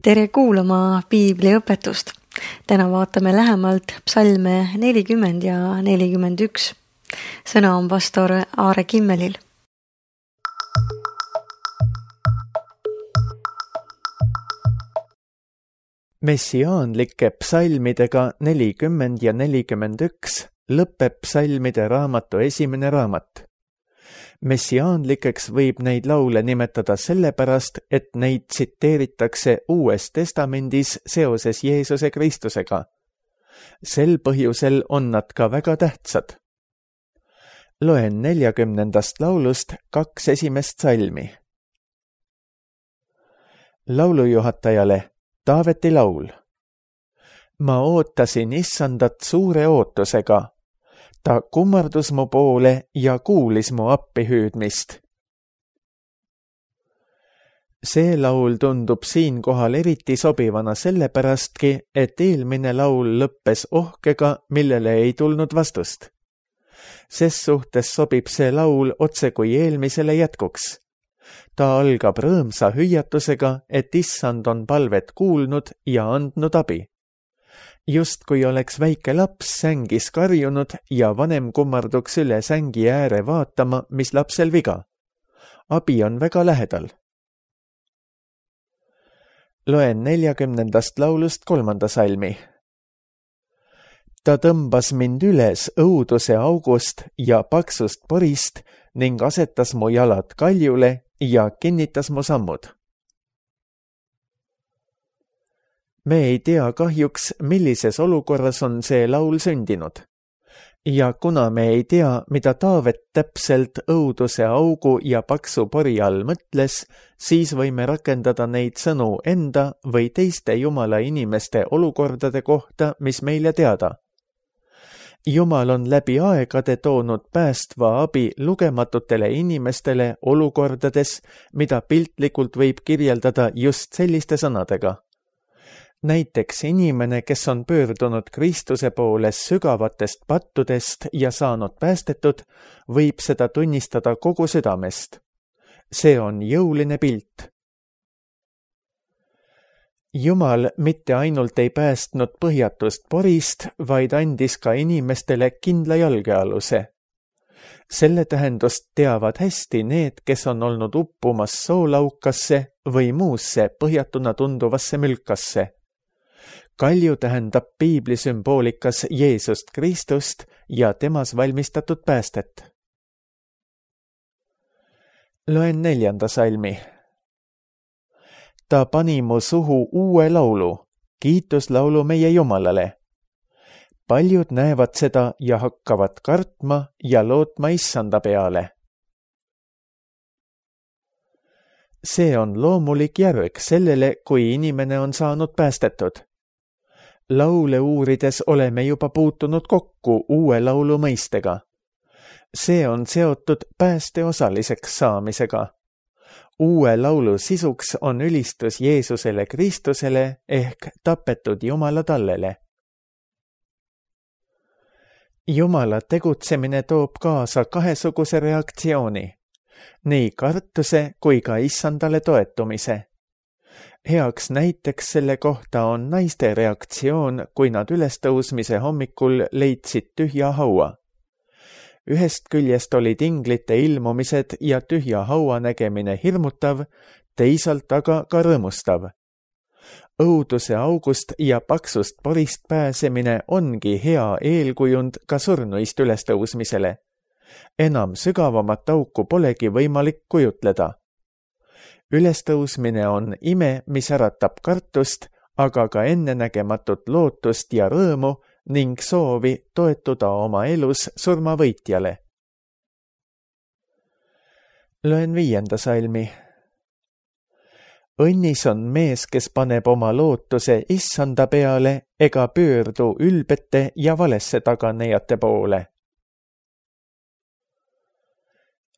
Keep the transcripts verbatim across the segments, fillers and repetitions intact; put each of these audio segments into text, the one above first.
Tere kuulama piibliõpetust. Täna vaatame lähemalt psalme nelikümmend ja nelikümmend üks. Sõna on pastor Aare Kimmelil. Messiaanlike psalmidega nelikümmend ja nelikümmend üks lõpeb psalmide raamatu esimene raamat. Messiaanlikeks võib neid laule nimetada sellepärast, et neid tsiteeritakse Uues Testamendis seoses Jeesuse Kristusega. Sel põhjusel on nad ka väga tähtsad. Loen neljakümnendast laulust kaks esimest salmi. Laulujuhatajale Taaveti laul. Ma ootasin issandat suure ootusega. Ta kummardus mu poole ja kuulis mu appihüüdmist. See laul tundub siinkohal eriti sobivana sellepärastki, et eelmine laul lõppes ohkega, millele ei tulnud vastust. Ses suhtes sobib see laul otse kui eelmisele jätkuks. Ta algab rõõmsa hüüatusega, et issand on palvet kuulnud ja andnud abi. Just kui oleks väike laps sängis karjunud ja vanem kummarduks üle sängi ääre vaatama, mis lapsel viga. Abi on väga lähedal. Loen neljakümnendast laulust kolmanda salmi. Ta tõmbas mind üles õuduse august ja paksust porist ning asetas mu jalad kaljule ja kinnitas mu sammud. Me ei tea kahjuks, millises olukorras on see laul sündinud. Ja kuna me ei tea, mida Taavet täpselt õuduse augu ja paksu pori all mõtles, siis võime rakendada neid sõnu enda või teiste Jumala inimeste olukordade kohta, mis meile teada. Jumal on läbi aegade toonud päästva abi lugematutele inimestele olukordades, mida piltlikult võib kirjeldada just selliste sõnadega. Näiteks inimene, kes on pöördunud Kristuse poole sügavatest pattudest ja saanud päästetud, võib seda tunnistada kogu südamest. See on jõuline pilt. Jumal mitte ainult ei päästnud põhjatust porist, vaid andis ka inimestele kindla jalgealuse. Selle tähendust teavad hästi need, kes on olnud uppumas soolaukasse või muusse põhjatuna tunduvasse mülkasse. Kalju tähendab piibli sümboolikas Jeesust Kristust ja temas valmistatud päästet. Loen neljanda salmi. Ta pani mu suhu uue laulu, kiituslaulu meie Jumalale. Paljud näevad seda ja hakkavad kartma ja lootma issanda peale. See on loomulik järg sellele, kui inimene on saanud päästetud. Laule uurides oleme juba puutunud kokku uue laulu mõistega. See on seotud pääste osaliseks saamisega. Uue laulu sisuks on ülistus Jeesusele Kristusele ehk tapetud Jumala tallele. Jumala tegutsemine toob kaasa kahesuguse reaktsiooni, nii kartuse kui ka issandale toetumise. Heaks näiteks selle kohta on naiste reaktsioon, kui nad ülestõusmise hommikul leidsid tühja haua. Ühest küljest olid inglite ilmumised ja tühja haua nägemine hirmutav, teisalt aga ka rõõmustav. Õuduse august ja paksust porist pääsemine ongi hea eelkujund ka surnuist ülestõusmisele. Enam sügavamat auku polegi võimalik kujutleda. Ülestõusmine on ime, mis äratab kartust, aga ka ennenägematut lootust ja rõõmu ning soovi toetuda oma elus surmavõitjale. Loen viienda salmi. Õnnis on mees, kes paneb oma lootuse issanda peale ega pöördu ülbete ja valesse taganejate poole.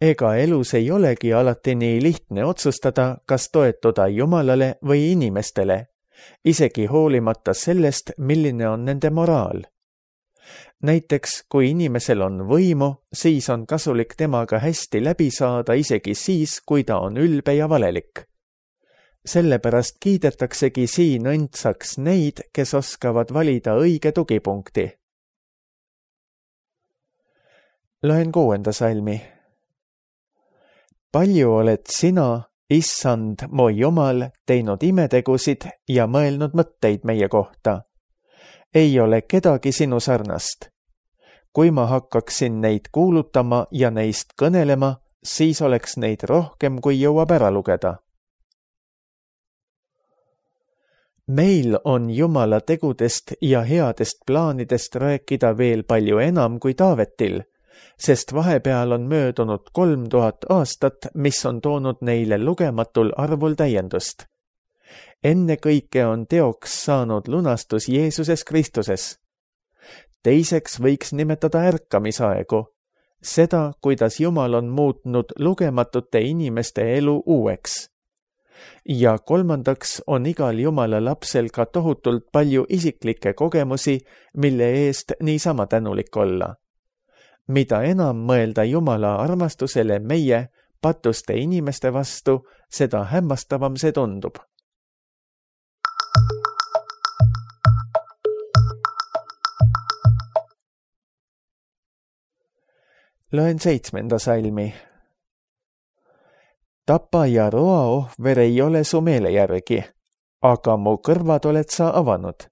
Ega elus ei olegi alati nii lihtne otsustada, kas toetuda Jumalale või inimestele, isegi hoolimata sellest, milline on nende moraal. Näiteks, kui inimesel on võimu, siis on kasulik temaga hästi läbi saada isegi siis, kui ta on ülbe ja valelik. sellepärast kiidetaksegi siin õndsaks neid, kes oskavad valida õige tugipunkti. Loen kuuenda salmi. Palju oled sina, Issand, mu Jumal, teinud imetegusid ja mõelnud mõtteid meie kohta. Ei ole kedagi sinu sarnast. Kui ma hakkaksin neid kuulutama ja neist kõnelema, siis oleks neid rohkem, kui jõuab ära lugeda. Meil on Jumala tegudest ja headest plaanidest rääkida veel palju enam kui Taavetil, sest vahepeal on möödunud kolm tuhat aastat, mis on toonud neile lugematul arvul täiendust. Enne kõike on teoks saanud lunastus Jeesuses Kristuses. Teiseks võiks nimetada ärkamisaegu, seda, kuidas Jumal on muutnud lugematute inimeste elu uueks. Ja kolmandaks on igal Jumala lapsel ka tohutult palju isiklikke kogemusi, mille eest niisama tänulik olla. Mida enam mõelda Jumala armastusele meie, patuste inimeste vastu, seda hämmastavam see tundub. Loen seitsmenda salmi. Tapa ja roa ohver ei ole su meele järgi, aga mu kõrvad oled sa avanud.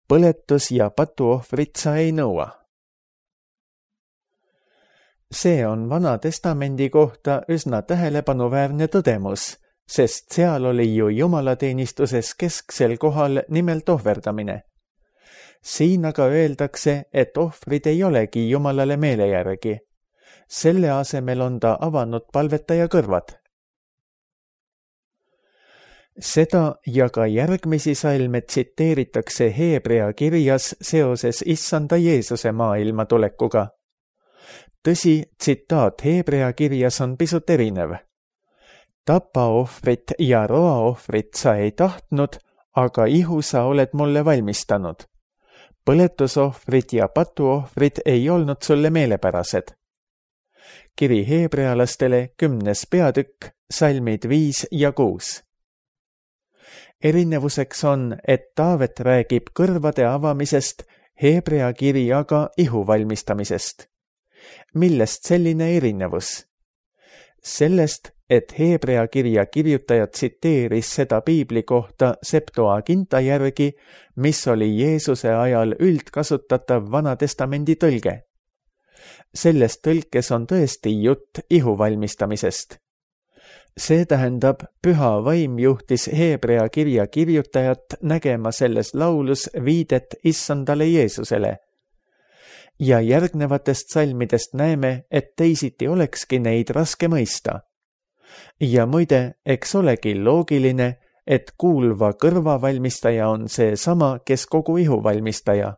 Põletus ja patuohvrit sa ei nõua. See on Vana Testamendi kohta üsna tähelepanuväärne tõdemus, sest seal oli ju jumalateenistuses kesksel kohal nimelt ohverdamine. Siin aga öeldakse, et ohvrid ei olegi Jumalale meele järgi. Selle asemel on ta avanud palvetaja kõrvad. Seda ja ka järgmisi salme tsiteeritakse Heebrea kirjas seoses Issanda Jeesuse maailma tulekuga. Tõsi, tsitaat Heebrea kirjas on pisut erinev. Tapaohvrit ja roaohvrit sa ei tahtnud, aga ihu sa oled mulle valmistanud. Põletusohvrid ja patuohvrid ei olnud sulle meelepärased. Kiri heebrealastele kümnes peatükk, salmid viis ja kuus. Erinevuseks on, et Taavet räägib kõrvade avamisest, Heebrea kiri aga ihu valmistamisest. Millest selline erinevus? Sellest, et Heebrea kirja kirjutaja tsiteeris seda piibli kohta Septuaginta järgi, mis oli Jeesuse ajal üldkasutatav Vanatestamendi tõlge. Selles tõlkes on tõesti jutt ihu valmistamisest. See tähendab, püha vaim juhtis Heebrea kirja kirjutajat nägema selles laulus viidet Issandale Jeesusele. Ja järgnevatest salmidest näeme, et teisiti olekski neid raske mõista. Ja muide, eks olegi loogiline, et kuulva kõrva valmistaja on see sama, kes kogu ihu valmistaja.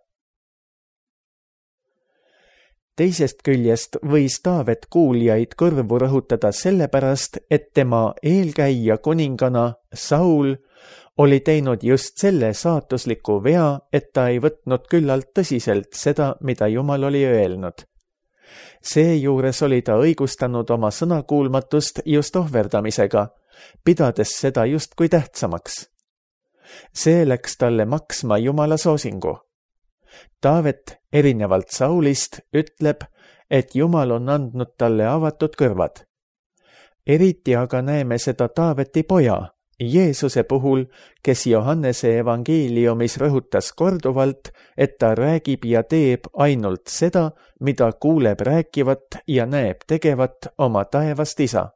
Teisest küljest võis Taavet kuuljaid kõrvu rõhutada sellepärast, et tema eelkäija kuningana Saul oli teinud just selle saatusliku vea, et ta ei võtnud küllalt tõsiselt seda, mida Jumal oli öelnud. Seejuures oli ta õigustanud oma sõnakuulmatust just ohverdamisega, pidades seda justkui tähtsamaks. See läks talle maksma Jumala soosingu. Taavet, erinevalt Saulist, ütleb, et Jumal on andnud talle avatud kõrvad. Eriti aga näeme seda Taaveti poja, Jeesuse puhul, kes Johannese evangeeliumis rõhutas korduvalt, et ta räägib ja teeb ainult seda, mida kuuleb rääkivat ja näeb tegevat oma taevast isa.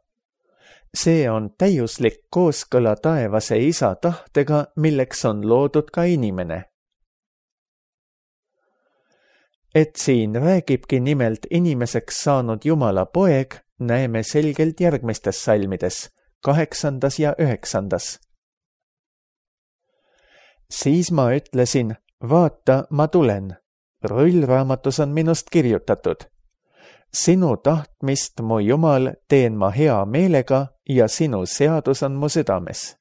See on täiuslik kooskõla taevase isa tahtega, milleks on loodud ka inimene. Et siin räägibki nimelt inimeseks saanud Jumala poeg, näeme selgelt järgmistes salmides, kaheksandas ja üheksandas. Siis ma ütlesin, vaata, ma tulen. Rullraamatus on minust kirjutatud. Sinu tahtmist, mu Jumal, teen ma hea meelega ja sinu seadus on mu südames.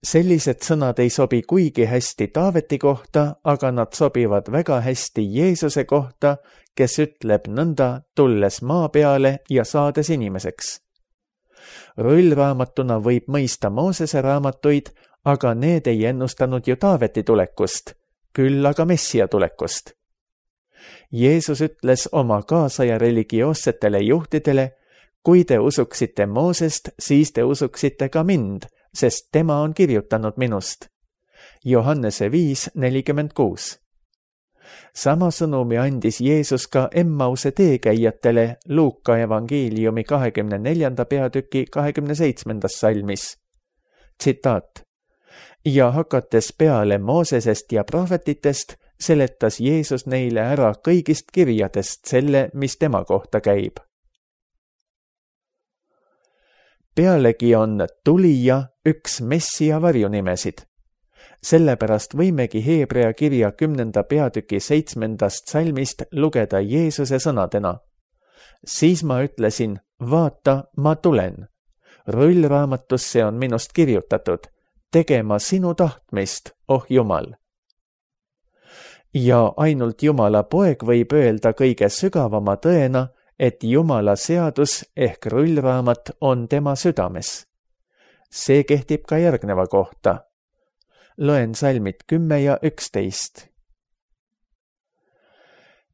Sellised sõnad ei sobi kuigi hästi Taaveti kohta, aga nad sobivad väga hästi Jeesuse kohta, kes ütleb nõnda, tulles maa peale ja saades inimeseks. Rullraamatuna võib mõista Moosese raamatuid, aga need ei ennustanud ju Taaveti tulekust, küll aga Messia tulekust. Jeesus ütles oma kaasaja religioossetele juhtidele, kui te usuksite Moosest, siis te usuksite ka mind, sest tema on kirjutanud minust. Johannese viis nelikümmend kuus. Sama sõnumi andis Jeesus ka Emmause teekäijatele Luuka evangeeliumi kahekümne neljanda peatüki kahekümne seitsmendas salmis. Tsitaat. Ja hakates peale Moosesest ja prohvetitest, seletas Jeesus neile ära kõigist kirjadest selle, mis tema kohta käib. Pealegi on tulija üks Messia varjunimesid. Sellepärast võimegi Heebrea kirja kümnenda peatüki seitsmendast salmist lugeda Jeesuse sõnadena. Siis ma ütlesin, vaata, ma tulen. Rullraamatusse on minust kirjutatud, tegema sinu tahtmist, oh Jumal. Ja ainult Jumala poeg võib öelda kõige sügavama tõena, et Jumala seadus ehk rullraamat on tema südames. See kehtib ka järgneva kohta. Loen salmid kümme ja üksteist.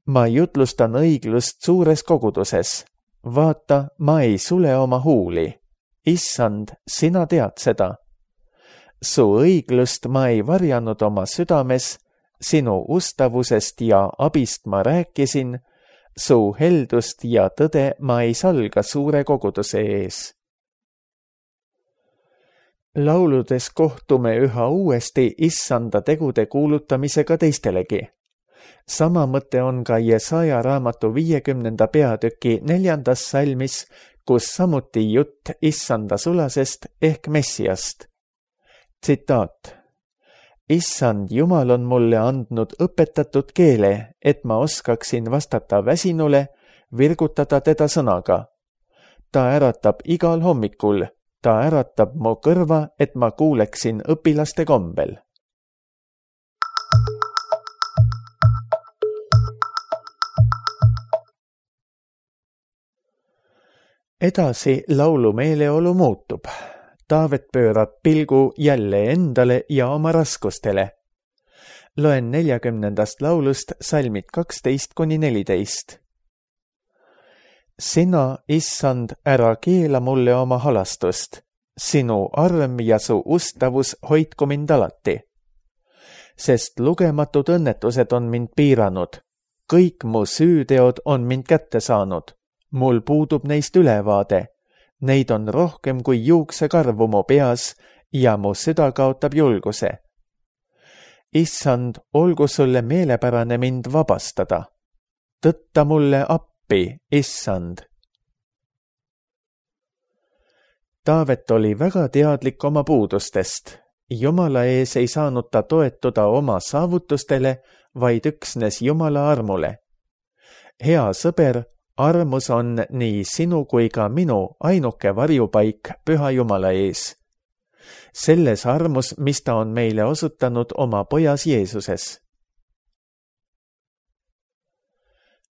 Ma jutlustan õiglust suures koguduses. Vaata, ma ei sule oma huuli. Issand, sina tead seda. Su õiglust ma ei varjanud oma südames, sinu ustavusest ja abist ma rääkisin, su heldust ja tõde ma ei salga suure koguduse ees. Lauludes kohtume üha uuesti issanda tegude kuulutamisega teistelegi. Sama mõte on ka Jesaja raamatu viiekümnenda peatüki neljandas salmis, kus samuti jutt issanda sulasest ehk Messiast. Tsitaat. Issand Jumal on mulle andnud õpetatud keele, et ma oskaksin vastata väsinule, virgutada teda sõnaga. Ta äratab igal hommikul, ta äratab mu kõrva, et ma kuuleksin õpilaste kombel. Edasi laulu meeleolu muutub. Taavet pöörab pilgu jälle endale ja oma raskustele. Loen neljakümnendast laulust salmid kaksteist kuni neliteist. Sina, issand, ära keela mulle oma halastust. Sinu arm ja su ustavus hoidku mind alati. Sest lugematud õnnetused on mind piiranud. Kõik mu süüteod on mind kätte saanud. Mul puudub neist ülevaade. Neid on rohkem kui juuksekarvu mu peas ja mu süda kaotab julguse. Issand, olgu sulle meelepärane mind vabastada. Tõtta mulle appi, issand. Taavet oli väga teadlik oma puudustest. Jumala ees ei saanud ta toetuda oma saavutustele, vaid üksnes Jumala armule. Hea sõber, armus on nii sinu kui ka minu ainuke varjupaik Püha Jumala ees. Selles armus, mis ta on meile osutanud oma pojas Jeesuses.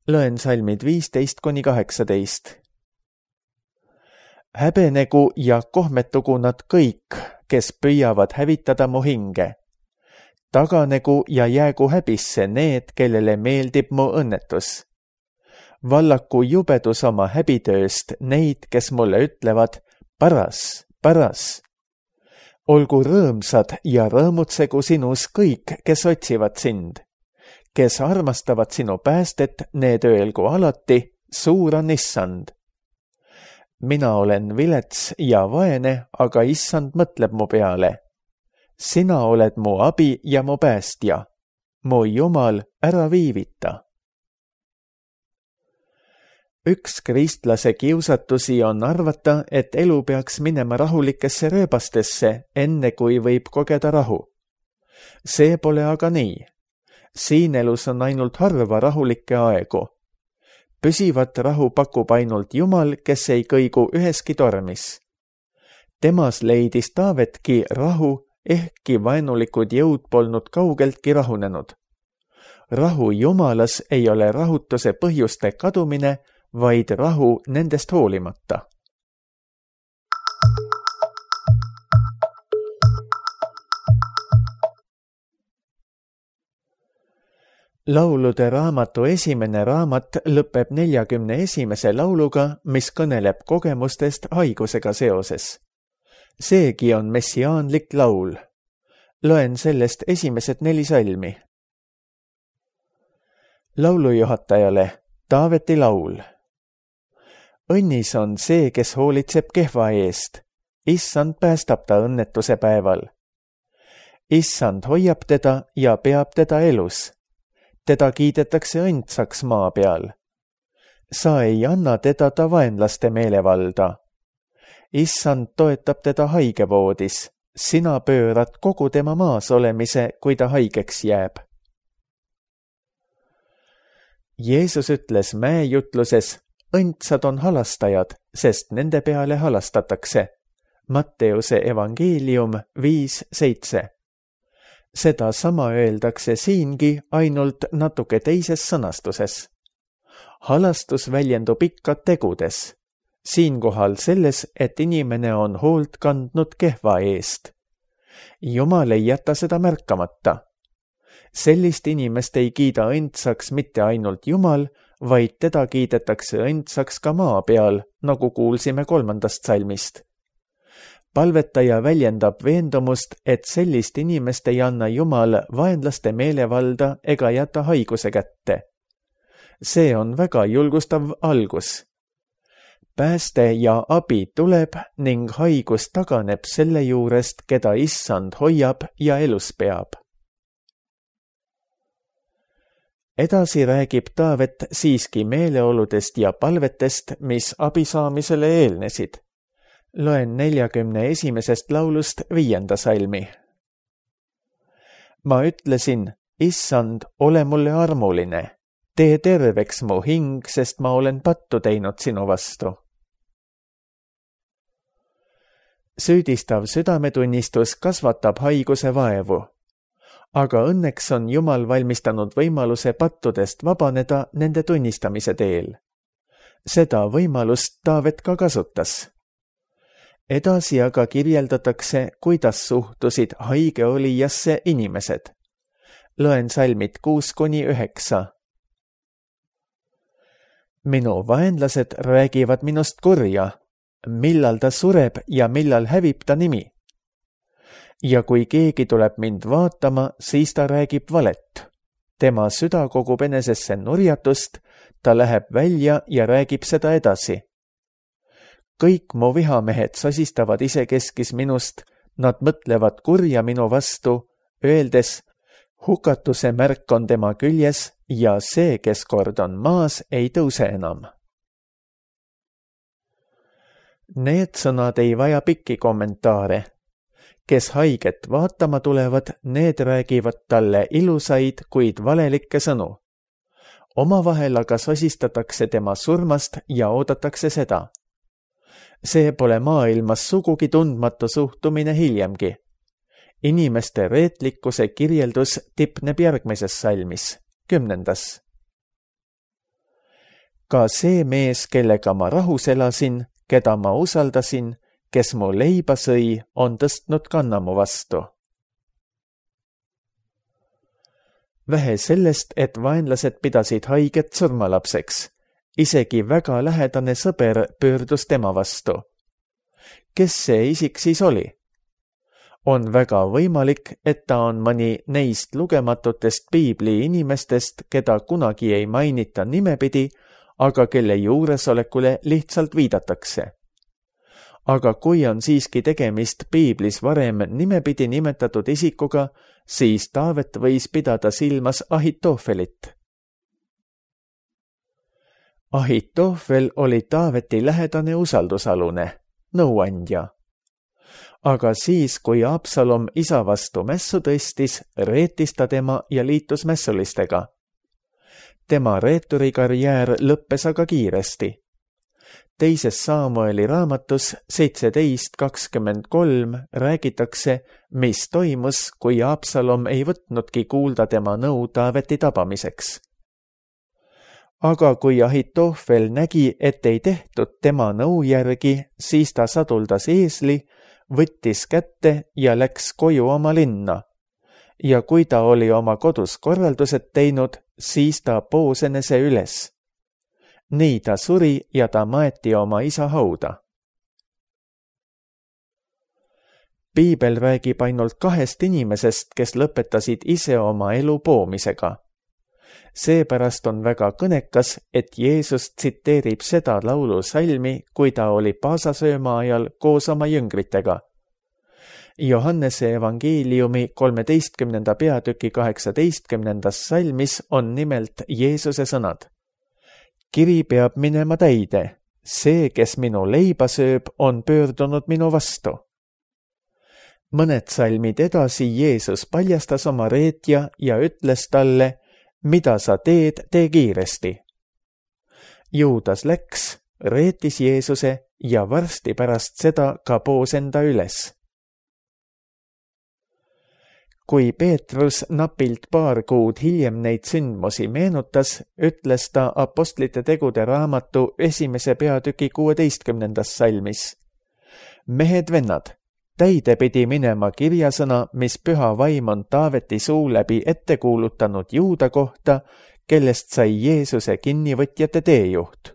Loen salmid viisteist kuni kaheksateist. Häbenegu ja kohmetugu nad kõik, kes püüavad hävitada mu hinge. Taganegu ja jäägu häbisse need, kellele meeldib mu õnnetus. Vallaku jubedus oma häbitööst neid, kes mulle ütlevad, paras, paras. Olgu rõõmsad ja rõõmutsegu sinus kõik, kes otsivad sind. Kes armastavad sinu päästet, need öelgu alati, suur on issand. Mina olen vilets ja vaene, aga issand mõtleb mu peale. Sina oled mu abi ja mu päästja. Mu Jumal, ära viivita. Üks kristlase kiusatusi on arvata, et elu peaks minema rahulikesse rööbastesse, enne kui võib kogeda rahu. See pole aga nii. Siin elus on ainult harva rahulikke aegu. Püsivat rahu pakub ainult Jumal, kes ei kõigu üheski tormis. Temas leidis Taavetki rahu, ehkki vaenulikud jõud polnud kaugeltki rahunenud. Rahu Jumalas ei ole rahutuse põhjuste kadumine, vaid rahu nendest hoolimata. laulude raamatu esimene raamat lõpeb neljakümne esimese lauluga, mis kõneleb kogemustest haigusega seoses. Seegi on messiaanlik laul. Loen sellest esimesed neli salmi. Laulujuhatajale Taaveti laul. Õnnis on see, kes hoolitseb kehva eest. Issand päästab ta õnnetuse päeval. Issand hoiab teda ja peab teda elus. Teda kiidetakse õndsaks maa peal. Sa ei anna teda ta vaenlaste meelevalda. Issand toetab teda haigevoodis. Sina pöörad kogu tema maas olemise, kui ta haigeks jääb. Jeesus ütles mäejutluses, õndsad on halastajad, sest nende peale halastatakse. Matteuse evangeelium viis seitse. Seda sama öeldakse siingi ainult natuke teises sõnastuses. Halastus väljendub ikka tegudes. Siinkohal selles, et inimene on hoolt kandnud kehva eest. Jumal ei jäta seda märkamata. Sellist inimest ei kiida õndsaks mitte ainult Jumal, vaid teda kiidetakse õndsaks ka maa peal, nagu kuulsime kolmandast salmist. Palvetaja väljendab veendumust, et sellist inimest ei anna Jumal vaenlaste meelevalda ega jäta haiguse kätte. See on väga julgustav algus. Pääste ja abi tuleb ning haigus taganeb selle juurest, keda Issand hoiab ja elus peab. Edasi räägib Taavet siiski meeleoludest ja palvetest, mis abi saamisele eelnesid. Loen neljakümne esimesest laulust viienda salmi. Ma ütlesin, Issand, ole mulle armuline. Tee terveks mu hing, sest ma olen pattu teinud sinu vastu. Süüdistav südametunnistus kasvatab haiguse vaevu. Aga õnneks on Jumal valmistanud võimaluse pattudest vabaneda nende tunnistamise teel. Seda võimalust Taavet ka kasutas. Edasi aga kirjeldatakse, kuidas suhtusid haigeolijasse inimesed. Loen salmid kuus kuni üheksa. Minu vaenlased räägivad minust kurja, millal ta sureb ja millal hävib ta nimi. Ja kui keegi tuleb mind vaatama, siis ta räägib valet. Tema süda kogub enesesse nurjatust, ta läheb välja ja räägib seda edasi. Kõik mu vihamehed sosistavad isekeskis minust, nad mõtlevad kurja minu vastu, öeldes, hukatuse märk on tema küljes ja see, kes kord on maas, ei tõuse enam. Need sõnad ei vaja pikki kommentaare. Kes haiget vaatama tulevad, need räägivad talle ilusaid, kuid valelikke sõnu. Omavahel aga sosistatakse tema surmast ja oodatakse seda. See pole maailmas sugugi tundmatu suhtumine hiljemgi. Inimeste reetlikkuse kirjeldus tipneb järgmises salmis, kümnendas. Ka see mees, kellega ma rahus elasin, keda ma usaldasin, kes mu leiba sõi, on tõstnud kanna mu vastu. Vähe sellest, et vaenlased pidasid haiget surmalapseks. Isegi väga lähedane sõber pöördus tema vastu. Kes see isik siis oli? On väga võimalik, et ta on mõni neist lugematutest piibli inimestest, keda kunagi ei mainita nimepidi, aga kelle juuresolekule lihtsalt viidatakse. Aga kui on siiski tegemist piiblis varem nimepidi nimetatud isikuga, siis Taavet võis pidada silmas Ahitofelit. Ahitofel oli Taaveti lähedane usaldusalune, nõuandja. Aga siis, kui Absalom isa vastu mässu tõstis, reetis ta tema ja liitus mässulistega. Tema reeturikarjäär lõppes aga kiiresti. Teises Saamueli raamatus seitseteist kakskümmend kolm räägitakse, mis toimus, kui Absalom ei võtnudki kuulda tema nõu Taaveti tabamiseks. Aga kui Ahitofel nägi, et ei tehtud tema nõu järgi, siis ta saduldas eesli, võttis kätte ja läks koju oma linna. Ja kui ta oli oma kodus korraldused teinud, siis ta poos enese üles. nii ta suri ja ta maeti oma isa hauda. Piibel räägib ainult kahest inimesest, kes lõpetasid ise oma elu poomisega. Seepärast on väga kõnekas, et Jeesus tsiteerib seda laulusalmi, kui ta oli paasasööma ajal koos oma jüngritega. Johannese evangeeliumi kolmeteistkümnenda peatüki kaheksateistkümnendas salmis on nimelt Jeesuse sõnad. Kiri peab minema täide, see, kes minu leiba sööb, on pöördunud minu vastu. Mõned salmid edasi Jeesus paljastas oma reetja ja ütles talle, mida sa teed, tee kiiresti. Juudas läks, reetis Jeesuse ja varsti pärast seda ka poos enda üles. Kui Peetrus napilt paar kuud hiljem neid sündmusi meenutas, ütles ta apostlite tegude raamatu esimese peatüki kuueteistkümnendas salmis. Mehed vennad, täide pidi minema kirjasõna, mis püha vaim on Taaveti suu läbi ette kuulutanud Juuda kohta, kellest sai Jeesuse kinnivõtjate teejuht.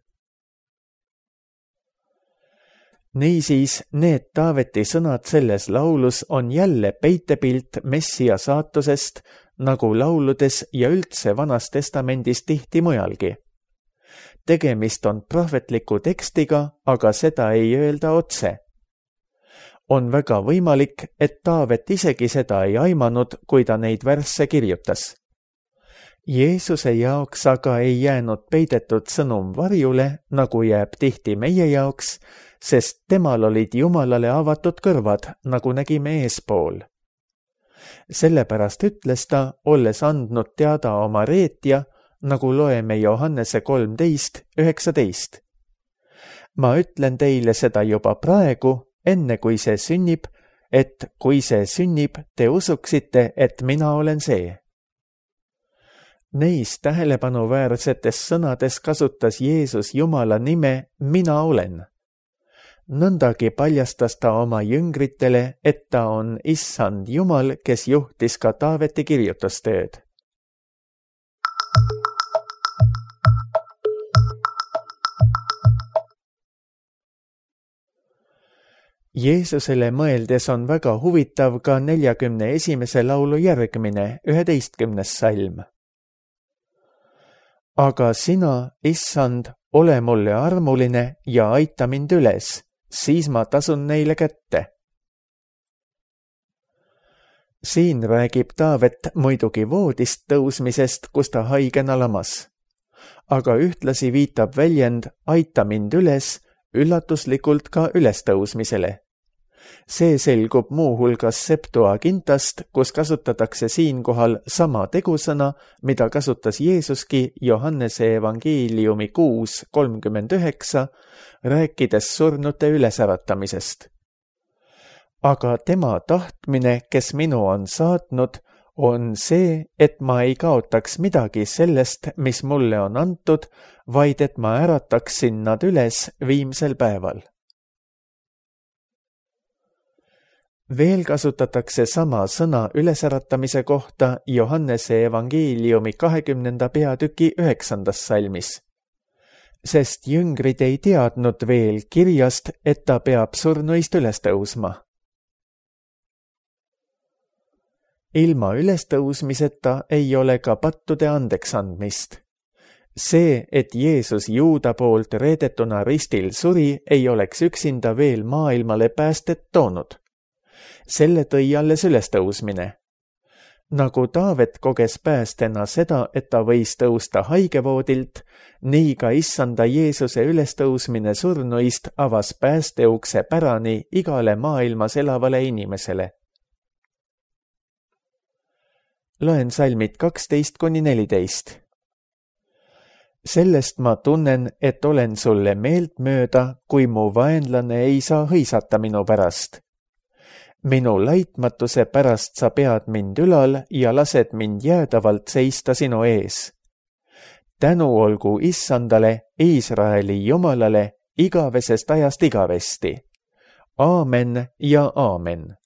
Niisiis, need Taaveti sõnad selles laulus on jälle peitepilt Messia saatusest, nagu lauludes ja üldse Vanas Testamendis tihti mujalgi. Tegemist on prohvetliku tekstiga, aga seda ei öelda otse. On väga võimalik, et Taavet isegi seda ei aimanud, kui ta neid värsse kirjutas. Jeesuse jaoks aga ei jäänud peidetud sõnum varjule, nagu jääb tihti meie jaoks, sest temal olid Jumalale avatud kõrvad, nagu nägime eespool. Sellepärast ütles ta, olles andnud teada oma reetja, nagu loeme Johannese kolmteist üheksateist. Ma ütlen teile seda juba praegu, enne kui see sünnib, et kui see sünnib, te usuksite, et mina olen see. Neis tähelepanuväärsetes sõnades kasutas Jeesus Jumala nime mina olen. Nõndagi paljastas ta oma jüngritele, et ta on Issand Jumal, kes juhtis ka Taaveti kirjutustööd. Jeesusele mõeldes on väga huvitav ka neljakümne esimese laulu järgmine, üheteistkümnes salm. Aga sina, Issand, ole mulle armuline ja aita mind üles, siis ma tasun neile kätte. Siin räägib Taavet muidugi voodist tõusmisest, kus ta haigena lamas. Aga ühtlasi viitab väljend aita mind üles üllatuslikult ka ülestõusmisele. See selgub muuhulgas Septuagintast, kus kasutatakse siinkohal sama tegusõna, mida kasutas Jeesuski Johannese evangeeliumi kuus kolmkümmend üheksa, rääkides surnute ülesäratamisest. Aga tema tahtmine, kes minu on saatnud, on see, et ma ei kaotaks midagi sellest, mis mulle on antud, vaid et ma ärataksin nad üles viimsel päeval. Veel kasutatakse sama sõna ülesäratamise kohta Johannese evangeeliumi kahekümnenda peatüki üheksandas salmis. Sest jüngrid ei teadnud veel kirjast, et ta peab surnuist üles tõusma. Ilma ülestõusmiseta ei ole ka pattude andeks andmist. See, et Jeesus Juuda poolt reedetuna ristil suri, ei oleks üksinda veel maailmale päästet toonud. Selle tõi alles ülestõusmine. Nagu Taavet koges päästena seda, et ta võis tõusta haigevoodilt, nii ka Issanda Jeesuse ülestõusmine surnuist avas päästeukse pärani igale maailmas elavale inimesele. Loen salmid kaksteist kuni neliteist. Sellest ma tunnen, et olen sulle meelt mööda, kui mu vaenlane ei saa hõisata minu pärast. Minu laitmatuse pärast sa pead mind ülal ja lased mind jäädavalt seista sinu ees. Tänu olgu Issandale, Iisraeli Jumalale, igavesest ajast igavesti. Aamen ja aamen.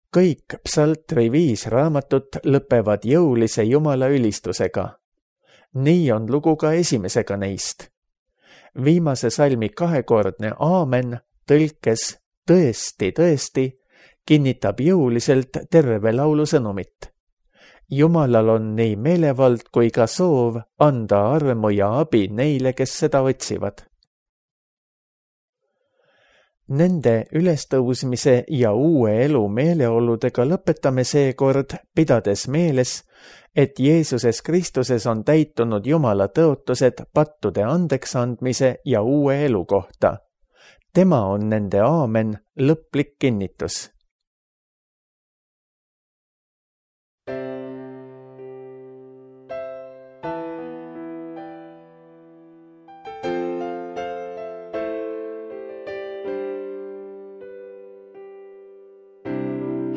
Kõik psaltri viis raamatut lõpevad jõulise Jumala ülistusega. Nii on lugu ka esimesega neist. Viimase salmi kahekordne aamen tõlkes tõesti, tõesti kinnitab jõuliselt terve laulu sõnumit. Jumalal on nii meelevald kui ka soov anda armu ja abi neile, kes seda otsivad. Nende ülestõusmise ja uue elu meeleoludega lõpetame seekord, pidades meeles, et Jeesuses Kristuses on täitunud Jumala tõotused pattude andeks andmise ja uue elu kohta. Tema on nende aamen lõplik kinnitus.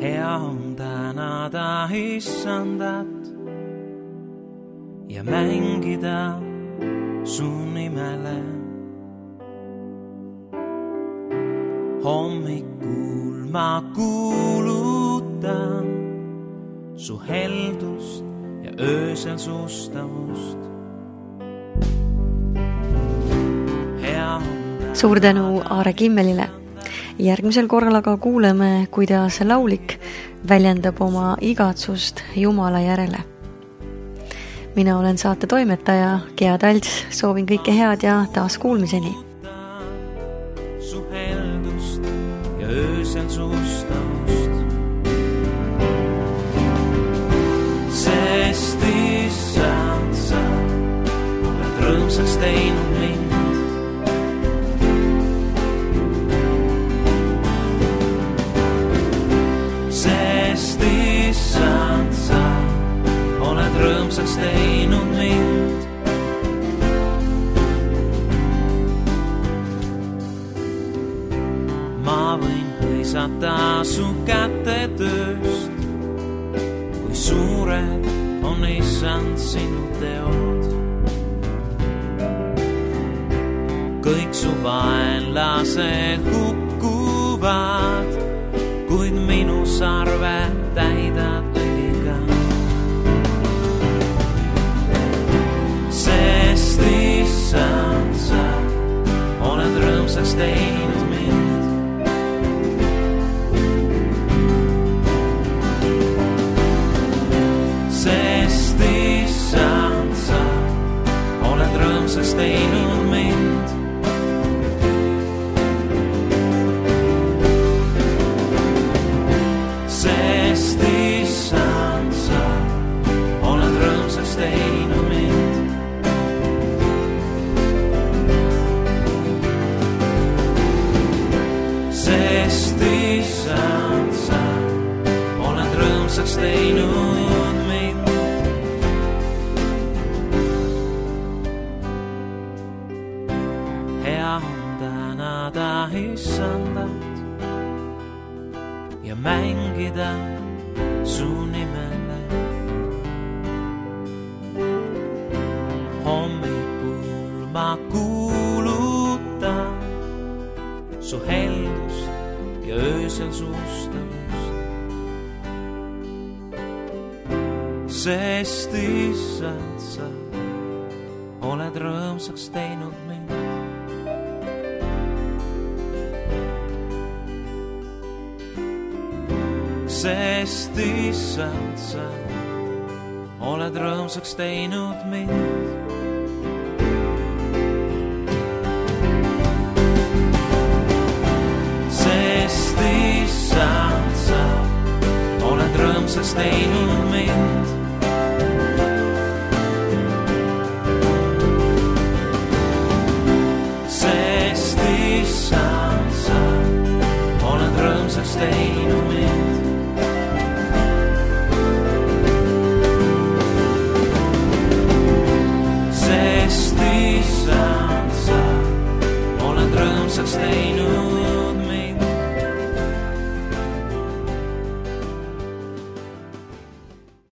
Hea on tänada Issandat ja mängida su nimele. Hommikul ma kuulutan su heldust ja öösel sustavust. Hea on tänada... Suur tänu Aare Kimmelile. Järgmisel korral aga kuuleme, kuidas laulik väljendab oma igatsust Jumala järele. Mina olen saate toimetaja Gea Talts, soovin kõike head ja taas kuulmiseni. Su heldust ja öösel sustavust. Sest Issand sa oled rõõmsaks teinud mind. Sest Issand sa oled rõõmsaks teinud mind. Ma võin hõisata su käte tööst, kui suured on Issand sinu teod. Kõik su vaenlased hukkuvad, kuid minu sarve täidad õiga. Sest Issand sa oled rõõmsaks teinud mind. Sest Issand sa oled rõõmsaks teinud mind. Sest Issand sa oled rõõmsaks teinud mind. Sest Issand sa oled rõõmsaks teinud mind. Hea on tänada Issandat ja mängida su nimele. Hommikul ma kuulutan su heldust ja öösel sustavust. Sest Issand sa oled rõõmsaks teinud mind. Sest Issand sa oled rõõmsaks teinud mind. Sest Issand sa oled rõõmsaks teinud mind.